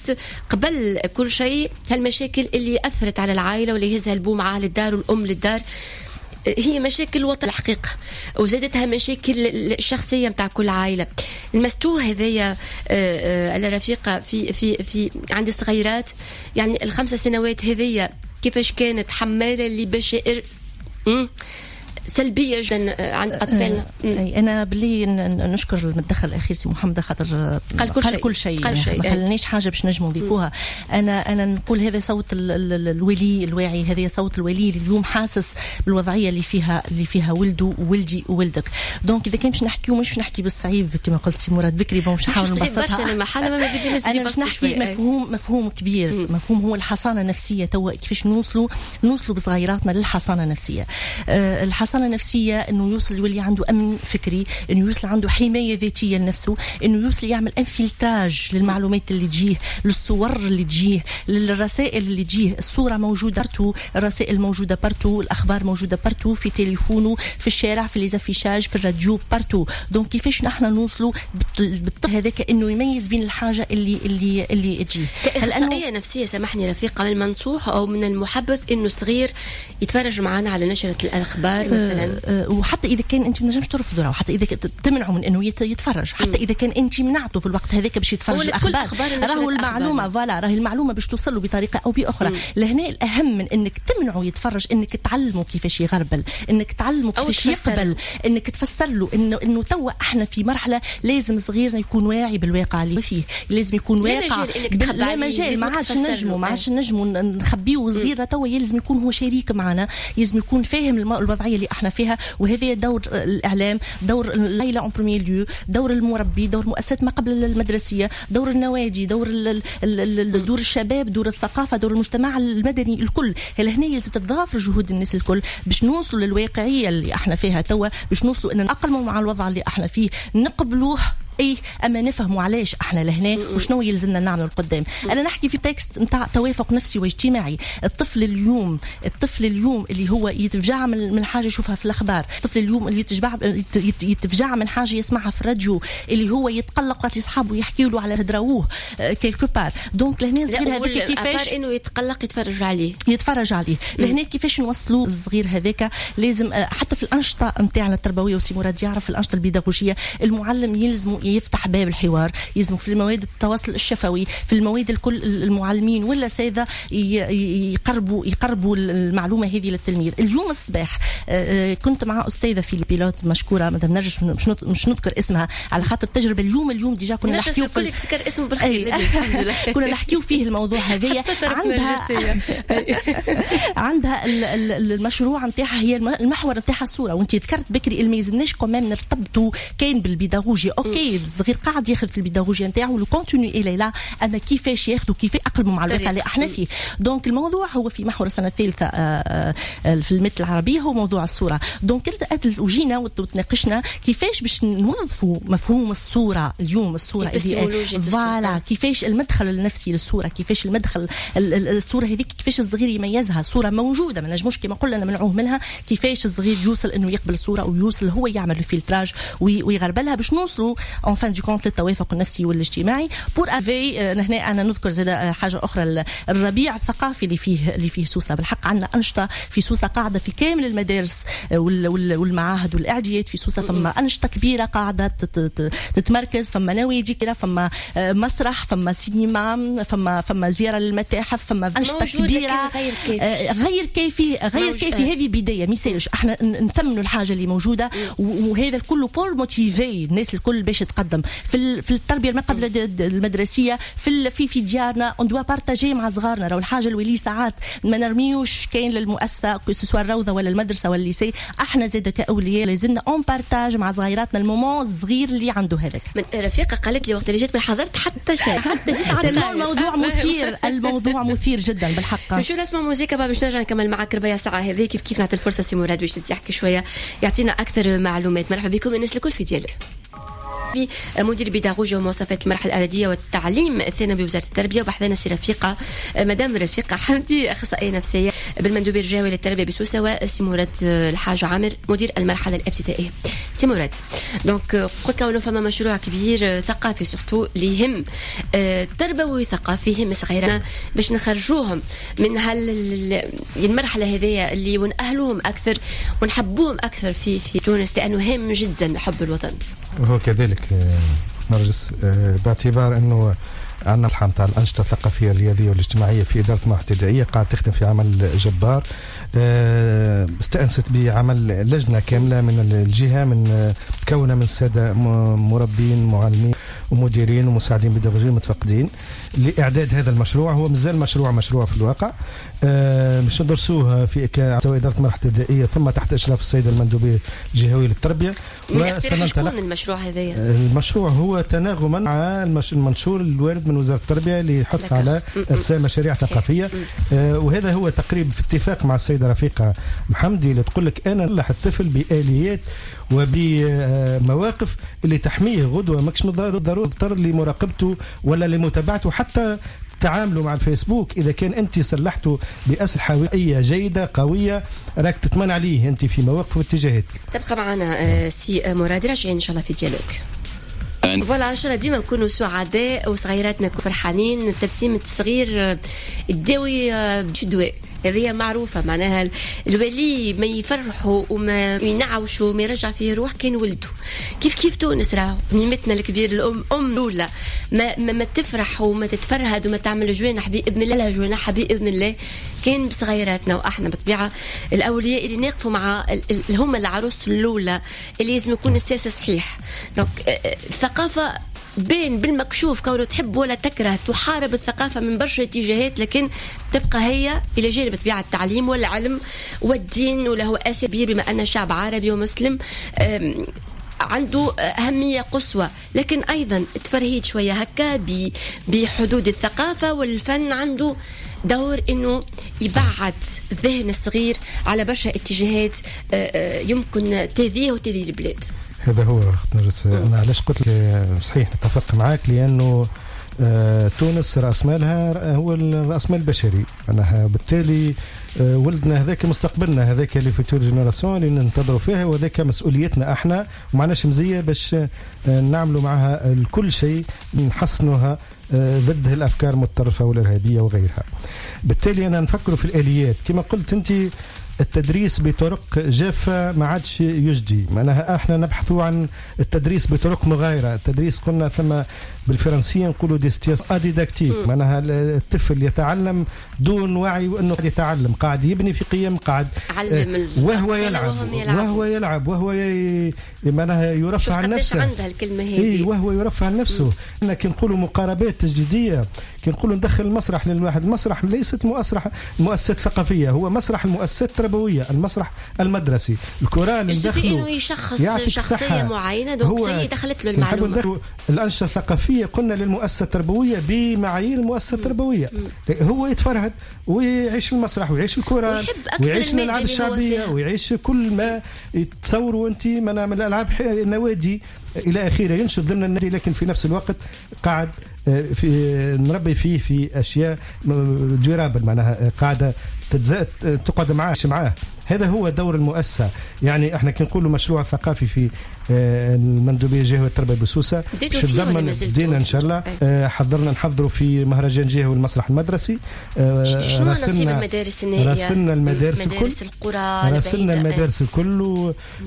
قبل كل شيء هالمشاكل اللي اثرت على العائلة واللي يهزها البو معاه للدار والام للدار، هي مشاكل الوطن الحقيقة، وزادتها مشاكل الشخصية متاع كل عائلة. المستوى هذايا الرفيقة في في في عند الصغيرات، يعني ال5 سنوات هذيا كيفاش كانت حمالة لبشائر سلبية جدا عند أطفالنا. أنا باللي نشكر المتدخل الأخير سي محمد، خاطر قال كل شيء، ما خلنيش حاجة باش نجموا نضيفوها. أنا نقول هذا صوت الولي الواعي، هذا صوت الولي اللي اليوم حاسس بالوضعية اللي فيها ولده وولدي وولدك. donc إذا كان باش نحكيو مش نحكي بالصعيب كما قلت سي مراد بكري، bon باش نحاول نبسطها. أنا باش نحكي مفهوم كبير، مفهوم هو الحصانة النفسية. توا كيفاش نوصلوا بصغيراتنا للحصانة النفسية. الحصانة النفسية انه يوصل يولي عنده امن فكري، انه يوصل عنده حماية ذاتية لنفسه، انه يوصل يعمل un filtrage للمعلومات اللي تجيه، للصور اللي تجيه، للرسائل اللي تجيه. الصورة موجودة partout، الرسائل موجودة partout، الاخبار موجودة partout، في تليفونه، في الشارع، في les affichages، في الراديو، partout. donc كيفاش نحن نوصلوا بالطفل هذاك انه يميز بين الحاجة اللي اللي اللي تجيه. كاخصائيه نفسية سامحني رفيقه، من المنصوح او من المحبذ انه صغير يتفرج معنا على نشره الاخبار مثلا؟ وحتى اذا كان انت ما نجمش ترفضه، وحتى اذا تمنعه من انه يتفرج، حتى اذا كان انت منعته في الوقت هذاك باش يتفرج الاخبار، راهو المعلومة voilà، راهي المعلومة باش توصل له بطريقة او باخرى. لهنا الاهم من انك تمنعه يتفرج انك تعلمه كيفاش يغربل، انك تعلمه كيفاش يقبل، انك تفسر له انه توا احنا في مرحلة لازم صغيرنا يكون واعي بالواقع اللي فيه، لازم يكون واقع لا مجال، ما عادش نجموا نخبيه صغيرنا. توا يلزم يكون هو شريك معنا، لازم يكون فاهم الوضعية اللي احنا فيها. وهذا دور الاعلام، دور العائلة en premier lieu، دور المربي، دور مؤسسات ما قبل المدرسية، دور النوادي، دور دور الشباب، دور الثقافة، دور المجتمع المدني الكل. لهنا يلزم تتضافر جهود الناس الكل باش نوصلوا للواقعيه اللي احنا فيها توا، باش نوصلوا ان نتاقلموا مع الوضع اللي احنا فيه، نقبلوه اي اما نفهموا علاش احنا لهنا وشنو يلزمنا نعملوا القدام. انا نحكي في texte نتاع توافق نفسي واجتماعي. الطفل اليوم اللي هو يتفجع من حاجة يشوفها في الاخبار، الطفل اليوم اللي يتفجع من حاجة يسمعها في الراديو، اللي هو يتقلق وقت اصحابه يحكيوا له على هدراوه quelque part. donc لهنا الصغير هذاك كيفاش انه يتقلق يتفرج عليه. لهنا كيفاش نوصلوا الصغير هذاك؟ لازم حتى في الانشطة نتاعنا التربوية، وسي مراد يعرف الانشطة البيداغوجيه، المعلم يلزم يفتح باب الحوار، يلزم في المواد التواصل الشفوي، في المواد الكل المعلمين والاساتذه يقربوا المعلومة هذه للتلميذ. اليوم الصباح كنت مع استاذه في ال pilote مشكورة مدام نرجس، مش نذكر اسمها على خاطر التجربة اليوم déjà كنا نحكيو في ذكر اسمه بالخير كنا نحكيو فيه الموضوع هذايا. عندها المشروع نتاعها هي المحور نتاعها الصورة، وانت ذكرت بكري ما يلزمناش quand même نرتبطوا كاين بالبيداغوجيا. OK الصغير قاعد ياخذ في البيداغوجيا نتاعو le contenu الى لا، اما كيفاش ياخذوا، كيف يأقلموا مع الواقع اللي احنا فيه. donc الموضوع هو في محور السنة الثالثة في المثل العربية هو موضوع الصورة. donc وجينا وتناقشنا كيفاش باش نوظفوا مفهوم الصورة اليوم، الصورة voilà كيفاش المدخل النفسي للصورة، كيفاش المدخل الصورة هذيك، كيفاش الصغير يميزها. صوره موجودة ما نجموش كما قلنا نمنعوه منها، كيفاش الصغير يوصل انه يقبل الصورة ويوصل هو يعمل ال filtrage ويغربلها باش نوصلوا en fin de compte للتوافق النفسي والاجتماعي. pour avis هنا انا نذكر زاد حاجة اخرى، الربيع الثقافي اللي فيه سوسة. بالحق عندنا انشطة في سوسة قاعدة في كامل المدارس والمعاهد والاعداديات في سوسة، فما انشطة كبيرة قاعدة تتمركز، فما نوادي كده، فما مسرح، فما سينما، فما زيارة للمتاحف، فما انشطة كبيرة غير كافي غير كافي. هذه بداية، ميسالش احنا نثمنوا الحاجة اللي موجودة، وهذا الكل pour motiver الناس الكل باش تقدم في التربية ما قبل المدرسية، في في ديارنا on doit partager مع صغارنا. راهو الحاجة الولي ساعات ما نرميوش كاين للمؤسسه que ce soit الروضة ولا المدرسة ولا ال lycée، احنا زاد كاولياء لازمنا on partage مع صغيراتنا ال moment الصغير اللي عنده هذاك. رفيقه قالت لي وقت اللي جيت ما حضرت حتى شيء، حتى جيت على الموضوع مثير، الموضوع مثير جدا بالحق. نمشيو نسمع موزيكا باش نرجع نكمل معك ربع ساعة هذه كيف كيف، نعطي الفرصة سي مراد باش يحكي شوية يعطينا اكثر معلومات. مرحبا بكم الناس الكل في Dialogue. مدير بيداغوجيا ومواصفات المرحلة الاعدادية والتعليم الثانوي بوزارة التربية، وبحثنا سي رفيقه مدام رفيقه حمدي اخصائية نفسية بالمندوبيه الجهوي للتربية بسوسه، وسي مراد الحاج عامر مدير المرحلة الابتدائية. سي مراد، donc قلت كونه فما مشروع كبير ثقافي surtout اللي يهم تربوي ثقافي يهم صغيرنا باش نخرجوهم من هالمرحلة هذيا اللي ونأهلوهم اكثر ونحبوهم اكثر في تونس، لانه هام جدا حب الوطن. وهو كذلك نرجس باعتبار انه عندنا الحام تاع الانشطة الثقافية الرياضية والاجتماعية في ادارة المرحلة الابتدائية قاعد تخدم في عمل جبار. استأنست بعمل لجنة كاملة من الجهة، من متكونه من السادة مربين معلمين ومديرين ومساعدين بيداغوجيين متفقدين لاعداد هذا المشروع. هو مازال مشروع في الواقع، باش ندرسوه في سواء ادارة المرحلة الابتدائية ثم تحت اشراف السيدة المندوبيه الجهوية للتربية. شكون المشروع هذايا؟ المشروع هو تناغما مع المنشور الوارد من وزارة التربية اللي يحث على ارسال مشاريع ثقافية. وهذا هو تقريب في اتفاق مع السيدة رفيقه محمدي اللي تقول لك انا نلح الطفل باليات وبمواقف اللي تحميه غدوه، ماكش ضروري تضطر لمراقبته ولا لمتابعته، حتى تعاملوا مع الفيسبوك. إذا كان أنت سلحته بأسلحة وقائية جيدة قوية راك تتمنى عليه أنت في مواقف واتجاهات. تبقى معنا سي مراد، راجعين إن شاء الله في Dialogue. voilà ان شاء الله ديما نكونوا سعداء وصغيراتنا فرحانين. تبسيمة الصغير تداوي دواء، هذه معروفة، معناها الولي ما يفرحوا وما ينعوشوا وما يرجع فيه روح كان ولده. كيف كيف تونس راهو ميمتنا الكبير الأم أم الأولى ما تفرح وما تتفرهد وما تعمل جوانح بإذن الله، جوانحها بإذن الله كان بصغيراتنا. وأحنا بالطبيعة الأولياء اللي نقفوا مع هم العروس الأولى اللي لازم يكون السياسة صحيح. donc الثقافة بين بالمكشوف كونه تحب ولا تكره تحارب الثقافة من برشا اتجاهات، لكن تبقى هي إلى جانب طبيعة التعليم والعلم والدين، وله أساس كبير بما أن شعب عربي ومسلم عنده أهمية قصوى، لكن أيضا تفرهيد شوية هكا بحدود الثقافة والفن عنده دور انه يبعد الذهن الصغير على برشا اتجاهات يمكن تاذيه وتاذي البلاد. هذا هو اخت نرجس. انا علاش قلت لك صحيح نتفق معاك، لانه تونس راس مالها هو الراس مال البشري، معناها بالتالي ولدنا هذاك مستقبلنا، هذاك les futures générations اللي ننتظروا فيها، وهذاك مسؤوليتنا احنا، ومعناش مزية باش نعملوا معها الكل شيء نحصنوها ضد الافكار المتطرفة والارهابيه وغيرها. بالتالي انا نفكروا في الاليات كما قلت انت، التدريس بطرق جافة ما عادش يجدي، معناها احنا نبحث عن التدريس بطرق مغايرة. التدريس قلنا ثم بالفرنسية نقولوا des situations adidactiques، معناها الطفل يتعلم دون وعي وانه قاعد يتعلم، قاعد يبني في قيم، قاعد وهو يلعب، وهو يلعب، وهو معناها يرفع عن نفسه. عندها الكلمة هذه، وهو يرفع عن نفسه. احنا كي نقولوا مقاربات تجديدية، كي نقولوا ندخل المسرح للواحد، المسرح ليست مؤسسات ثقافية، هو مسرح المؤسسات التربوية، المسرح المدرسي، الكورال ندخله انه يشخص شخصية معينة، donc سي دخلت له المعلومة. الأنشطة الثقافية قلنا للمؤسسة التربوية بمعايير المؤسسة التربوية، هو يتفرهد ويعيش المسرح ويعيش الكورال ويعيش الألعاب الشعبية ويعيش كل ما تصوروا أنت من الألعاب، النوادي إلى آخره، ينشط ضمن النادي، لكن في نفس الوقت قاعد في نربي فيه في أشياء durables، معناها قاعدة تقعد معاه. هذا هو دور المؤسسة. يعني احنا كي نقولوا مشروع ثقافي في المندوبية الجهوية للتربية بسوسة، بدينا ان شاء الله، حضرنا نحضروا في مهرجان جهوي المسرح المدرسي. شنو نصيب المدارس النائية؟ راسلنا المدارس الكل، مدارس القرى، راسلنا المدارس الكل،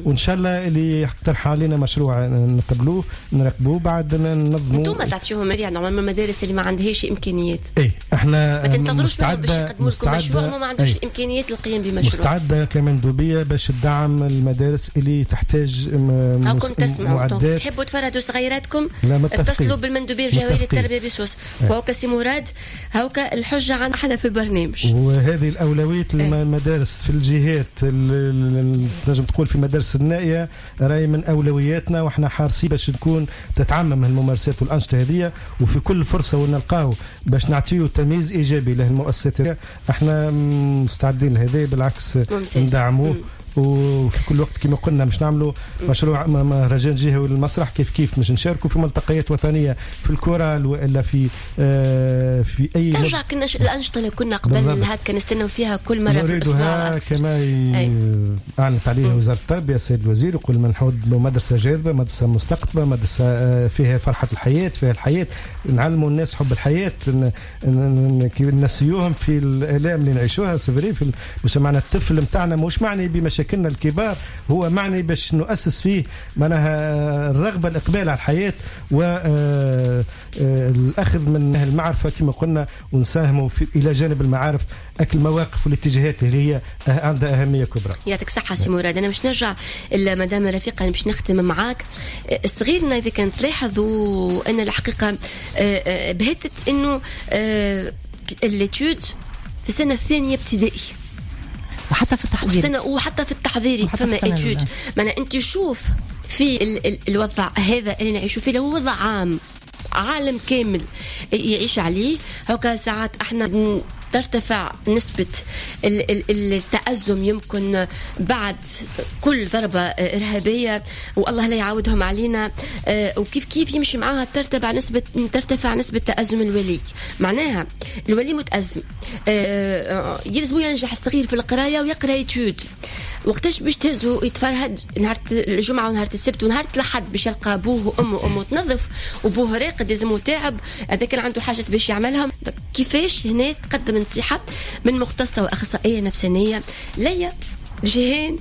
وان شاء الله اللي يقترح علينا مشروع نقبلوه نراقبوه بعد ننظموا. انتم تعطيوهم يعني normalement المدارس اللي ما عندهاش امكانيات. اي احنا ما تنتظروش منهم باش يقدموا لكم مشروع، ما عندوش الامكانيات للقيام بمشروع. مستعدة كمندوبيه باش تدعم المدارس اللي تحتاج هاكم تسمعوا، تحبوا تفرهدوا صغيراتكم اتصلوا بالمندوبيه الجهوية للتربية بسوس. وهوكا سي مراد، هوكا الحجة عن احنا في البرنامج. وهذه الاولوية المدارس في الجهات، تنجم تقول في المدارس النائية راهي من اولوياتنا، واحنا حارسين باش تكون تتعمم الممارسات والانشطه هذه، وفي كل فرصة ونلقاو باش نعطيو تمييز ايجابي لهالمؤسسات احنا مستعدين لهذا، بالعكس ندعموه. وفي كل وقت كما قلنا مش نعملوا مشروع مهرجان جهوي للمسرح، كيف كيف مش نشاركوا في ملتقيات وطنية في الكورال والا في في اي ترجع كنا الانشطة اللي كنا قبل هكا نستناو فيها كل مرة في الاسبوع، كما اعلنت عليها وزارة التربية السيد الوزير، يقول من نحط مدرسه جاذبة، مدرسه مستقطبه، مدرسه فيها فرحه الحياة، فيها الحياة، نعلموا الناس حب الحياة، نسيوهم في الالام اللي نعيشوها. c'est vrai في مجتمعنا الطفل نتاعنا مش معني بمشاكلنا الكبار، هو معني باش نؤسس فيه معناها الرغبة، الإقبال على الحياة، والأخذ من المعرفة كما قلنا، ونساهموا في إلى جانب المعارف أكل المواقف والاتجاهات اللي هي عندها أهمية كبرى. يعطيك صحة سي مراد. أنا مش نرجع لمدام رفيقة، أنا باش نختم معاك. صغيرنا إذا كانت تلاحظوا أن الحقيقة بهتت أنه l'étude في السنة الثانية ابتدائي، وحتى في التحضيري، وحتى في التحضيري فما étude. معناها انت شوف في الوضع هذا اللي نعيشوا فيه، هو وضع عام، عالم كامل يعيش عليه. هكا ساعات احنا ترتفع نسبة التأزم يمكن بعد كل ضربة إرهابية، والله لا يعودهم علينا، وكيف كيف يمشي معاها ترتفع نسبة تأزم الولي. معناها الولي متأزم، يلزم ينجح الصغير في القراية ويقرأ étude. وقتاش باش تهزو يتفرهد؟ نهار الجمعة ونهار السبت ونهار الأحد باش يلقى أبوه وأمه، أمه تنظف وأبوه راقد، لازمو تعب، هذا كان عنده حاجات باش يعملها. كيفاش هنا تقدم نصيحة من مختصة وأخصائية نفسانية ليا جهان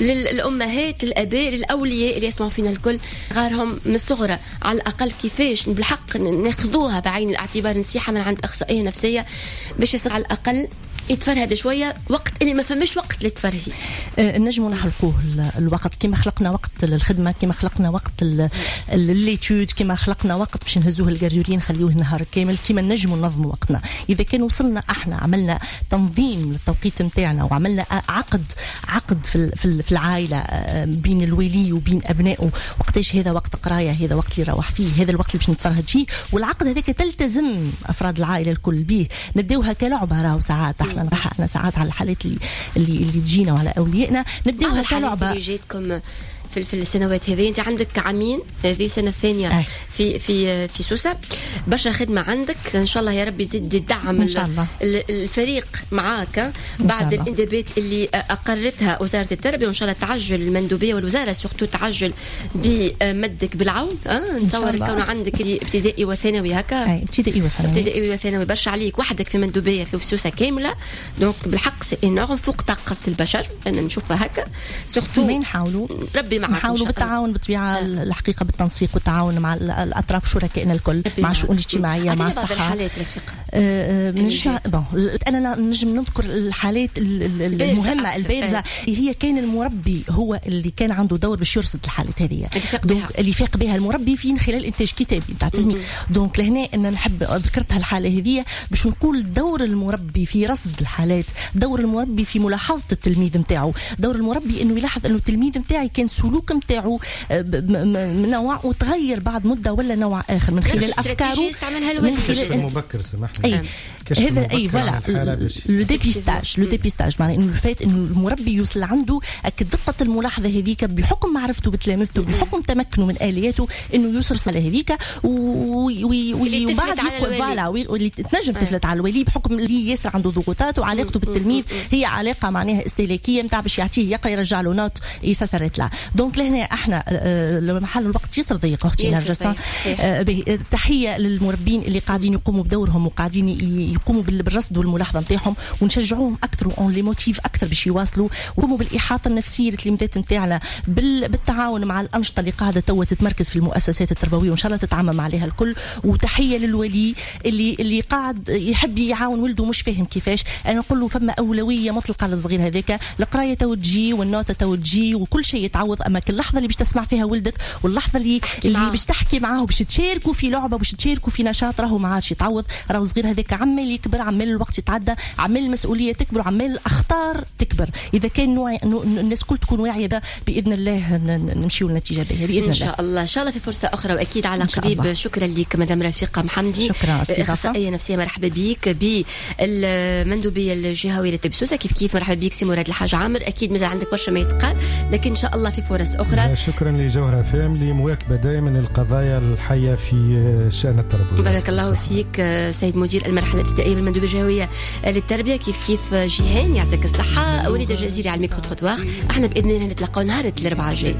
للأمهات، للآباء، للأولياء اللي يسمعوا فينا الكل، غارهم من الصغرى على الأقل كيفاش بالحق ناخذوها بعين الاعتبار، نصيحة من عند أخصائية نفسية باش يصير على الأقل يتفرهد شوية وقت اللي ما فماش وقت للتفرهيد. نجموا نخلقوه الوقت، كما خلقنا وقت للخدمة، كما خلقنا وقت l'étude، كما خلقنا وقت باش نهزوه ال garderie نخليوه نهار كامل، كما نجموا ننظموا وقتنا. اذا كان وصلنا احنا عملنا تنظيم للتوقيت نتاعنا وعملنا عقد في العائلة بين الولي وبين ابنائه، وقتاش هذا وقت قرايه، هذا وقت اللي نروح فيه، هذا الوقت اللي باش نتفرهد فيه، والعقد هذاك تلتزم افراد العائلة الكل به. نبداوها كلعبة، راهو ساعات احنا احنا ساعات على الحالات اللي تجينا وعلى اوليائنا نبداوها كلعبة. اللي جاتكم في السنوات هذه. انت عندك عامين، هذه السنة الثانية في في في سوسة، برشا خدمة عندك، ان شاء الله يا رب يزيد يدعم الفريق معاك بعد الانتدابات اللي اقرتها وزارة التربية، وان شاء الله تعجل المندوبيه والوزارة surtout تعجل بمدك بالعون. نتصور كون عندك ابتدائي وثانوي هكا، ابتدائي وثانوي، ابتدائي وثانوي برشا عليك وحدك في مندوبيه في سوسة كاملة، donc بالحق c'est énorme فوق طاقة البشر، انا نشوفها هكا surtout. نحاولوا ربي معاك، نحاولوا بالتعاون بالطبيعة، الحقيقة بالتنسيق والتعاون مع الاطراف شركائنا الكل، مع الشؤون الاجتماعية، مع الصحة. بعض الحالات رفيقه bon انا نجم نذكر الحالات المهمة البارزة، هي كان المربي هو اللي كان عنده دور باش يرصد الحالات هذه، اللي فاق بها المربي في خلال انتاج كتابي نتاع تلميذ. donc لهنا انا نحب ذكرتها الحالة هذه باش نقول دور المربي في رصد الحالات، دور المربي في ملاحظة التلميذ نتاعو، دور المربي انه يلاحظ انه التلميذ نتاعي كان سلوك نتاعو نوع وتغير بعد مده ولا نوع اخر من خلال افكاره، من خلال المبكر. سامحني، اي هذا اي voilà le dépistage، le dépistage معناها انه الفات انه المربي يوصل عنده دقه الملاحظة هذيك بحكم معرفته بتلامذته، بحكم تمكنه من الياته، انه يوصل على هذيك وبعد voilà واللي تنجم تفلت على الولي بحكم اللي ياسر عنده ضغوطات، وعلاقته بالتلميذ هي علاقة معناها استهلاكية نتاع باش يعطيه يقرا يرجع له note et ça s'arrête là. donc لهنا احنا محل الوقت ياسر ضيق اختي نرجس. تحية للمربين اللي قاعدين يقوموا بدورهم وقاعدين يقوموا بالرصد والملاحظه نتاعهم، ونشجعوهم اكثر on les motive اكثر باش يواصلوا ويقوموا بالاحاطه النفسية للتلميذات نتاعنا بالتعاون مع الانشطة اللي قاعدة توا تتمركز في المؤسسات التربوية، وان شاء الله تتعمم عليها الكل. وتحية للولي اللي قاعد يحب يعاون ولده مش فاهم كيفاش، انا نقول له فما اولوية مطلقه للصغير هذاك، القراية تو تجي وال note تو تجي وكل شيء يتعوض، اما كل لحظة اللي باش تسمع فيها ولدك واللحظة اللي باش تحكي معاه وباش تشاركوا في لعبه باش تشاركوا في نشاط راهو ما عادش يتعوض. راهو صغير هذاك عمال يكبر، عمال الوقت يتعدى، عمال المسؤولية تكبر، وعمال الاخطار تكبر. اذا كان الناس كل تكون واعية باذن الله نمشيو لنتيجة باهيه باذن الله. ان شاء الله، ان شاء الله في فرصة اخرى واكيد على قريب. شكرا لك مدام رفيقه محمدي، شكرا. اخصائية نفسية، مرحبا بك بالمندوبيه الجهوية للتربية سوسة. كيف كيف مرحبا بك سي مراد الحاج عامر، اكيد مازال عندك برشا ما يتقال، لكن ان شاء الله في فرص اخرى. شكرا لجوهرة FM لمواكبه دائما القضايا الحية في الشان التربوي. بارك الله فيك سيد مدير المرحلة الابتدائية بالمندوبيه الجهوية للتربية. كيف كيف جيهان يعطيك الصحة، وليد الجزيري على ال micro-trottoir. احنا باذن الله نتلاقاو نهار الاربعاء الجاي.